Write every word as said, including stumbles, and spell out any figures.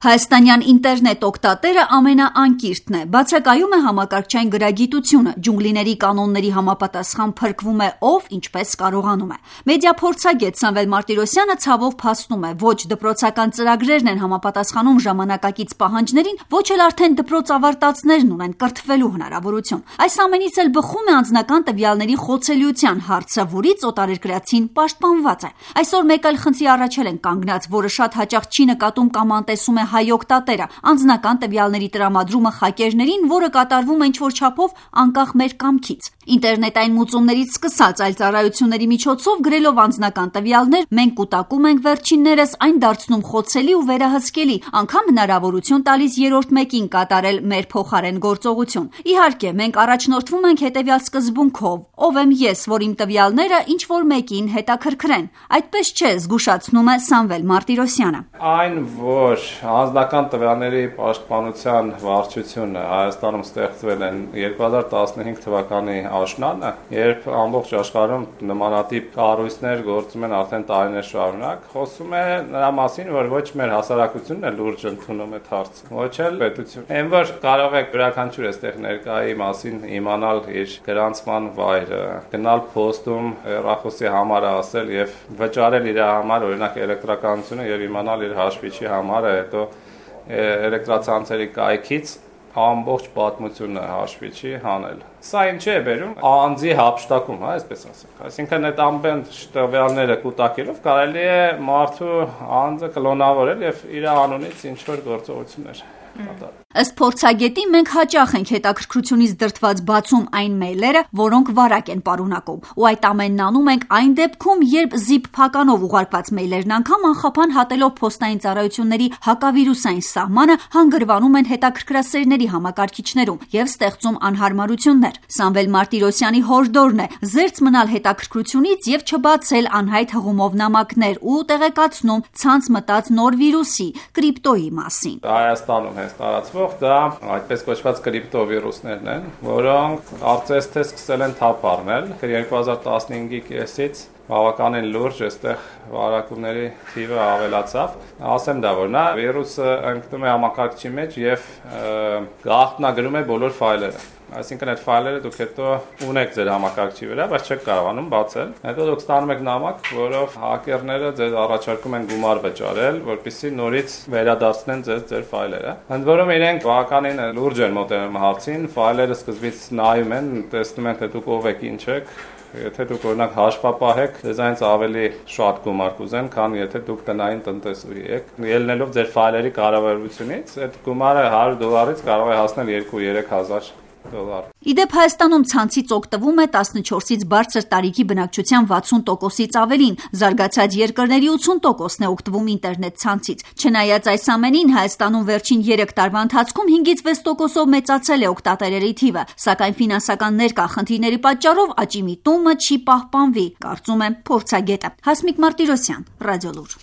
Հայաստանյան ինտերնետ օգտատերը ամենաանկիրթն է, բացակայում է համակարգչային գրագիտությունը, ջունգլիների կանոնների համապատասխան փրկվում է ով ինչպես կարողանում է։ Մեդիա փորձագետ Սամվել Մարտիրոսյանը ցավով փաստում է, ոչ դպրոցական ծրագրերն են համապատասխանում ժամանակակից պահանջներին, ոչ էլ արդեն դպրոց ավարտածներն ունեն կրթվելու հնարավորություն։ Այս ամենից էլ բխում է անձնական տվյալների խոցելիության հարցը, որից օտարերկրացին պաշտպանված է։ Այսօր մեկ այլ խնդրի առաջել են կանգնած, որը շատ հաճախ չի նկատում կամ անտեսում է հայ օգտատերը, անձնական տվյալների տրամադրումը խակերներին, որը կատարվում է ինչ-որ չափով անկախ մեր կամքից։ Ինտերնետային մուծումներից սկսած այլ ծառայությունների միջոցով գրելով անձնական տվյալներ, մենք կուտակում ենք վերջիններս այն դարձնում խոցելի ու վերահսկելի, անգամ հնարավորություն տալիս երրորդ մեկին կատարել մեր փոխարեն գործողություն։ Իհարկե, մենք առաջնորդվում ենք հետևյալ սկզբունքով. ով եմ ես, որ իմ տվյալները ինչ-որ մեկին հետաքրքրեն։ Այդպես չէ, զգուշացնում է Սամվել Մարտիրոսյանը։ Այն, որ անձնական տվյալների պաշտպանության վարչությունը Հայաստանում ստեղծվել են երկու հազար տասնհինգ թվականի աշնանը, երբ ամբողջ աշխարհում նմանատիպ կառույցներ գործում են արդեն տարիներ շարունակ, խոսում է նրա մասին, որ ոչ մեր հասարակությունն է լուրջ ընդունում այդ հարցը, ոչ էլ պետությունը։ Այն որ կարող է յուրաքանչյուր այստեղ ներկայի մասին իմանալ իր գրանցման վայրը, գնալ փոստում հեռախոսի համարը ասել եւ վճարել իր համար օրինակ էլեկտրականությունը եւ իմանալ իր հաշվիչի համարը, հետո էլեկտրացանցերի կայքից ամբողջ պատմությունը հաշվիչի հանել։ Սա ինչ է բերում անձի հափշտակում, հա, այսպես ասենք։ Այսինքն այդ ամբողջ տվյալները կուտակելով կարելի է մարդու անձը կլոնավորել եւ իր անունից ինչ որ գործողություններ կատարել։ Ըստ փորձագետի մենք հաճախ ենք հետաքրքրությունից դրդված բացում այն մեյլերը, որոնք վարակ են պարունակում, ու այդ ամենն անում ենք այն դեպքում, երբ զիպ փականով ուղարկված մեյլերն անգամ անխափան հատելով փոստային ծառայությունների հակավիրուսային սահմանը հանգրվանում են հետաքրքրասերների համակարգիչներում եւ ստեղծում անհարմարություններ։ Սամվել Մարտիրոսյանի հորդորն է զերծ մնալ հետաքրքրությունից եւ չբացել անհայտ հղումով նամակներ ու տեղեկացնում ցանց մտած նոր վիրուսի կրիպտոյի մասին։ Հայաստանում հենց տարածվող դա այդպես կոչված կրիպտովիրուսներն են, որոնք կարծես թե սկսել են թափ առնել երկու հազար տասնհինգի կեսից բավականին լուրջ այստեղ վարակումների թիվը ավելացավ։ Ասեմ դա որ նա վիրուսը ընկնում է համակարգչի մեջ եւ գաղտնագրում է բոլոր ֆայլերը։ Այսինքն այդ ֆայլերը դուք հետո ունեք ձեր համակարգչի վրա, բայց չեք կարողանում բացել։ Հետո դուք ստանում եք նամակ, որով հակերները ձեզ առաջարկում են գումար վճարել, որպեսզի նորից վերադարձնեն ձեզ ձեր ֆայլերը։ Ընդ որում իրենք բավականին լուրջ են մոտենում հարցին, ֆայլերը սկզբից նայում են, տեսնում են թե դուք ով եք, ինչ եք։ Եթե դուք օրինակ հաշվապահ եք, ձեզանից ավելի շատ գումար կուզեն, քան եթե դուք տնային տնտեսուհի եք։ Ելնելով ձեր ֆայլերի կառավարությունից, այդ գումարը հարյուր դոլարից կարող է հասնել երկու-երեք հազար դոլար։ Իդեպ Հայաստանում ցանցից օգտվում է տասնչորսից բարձր տարիքի բնակչության վաթսուն տոկոսից ավելին, զարգացած երկրների ութսուն տոկոսն է օգտվում ինտերնետ ցանցից։ Չնայած այս ամենին, Հայաստանում վերջին երեք տարվա ընթացքում հինգից վեց տոկոսով մեծացել է օգտատերերի թիվը, սակայն ֆինանսական ներկա խնդիրների պատճառով աճի միտումը չի պահպանվի, կարծում է փորձագետը։ Հասմիկ Մարտիրոսյան, Ռադիոլուր։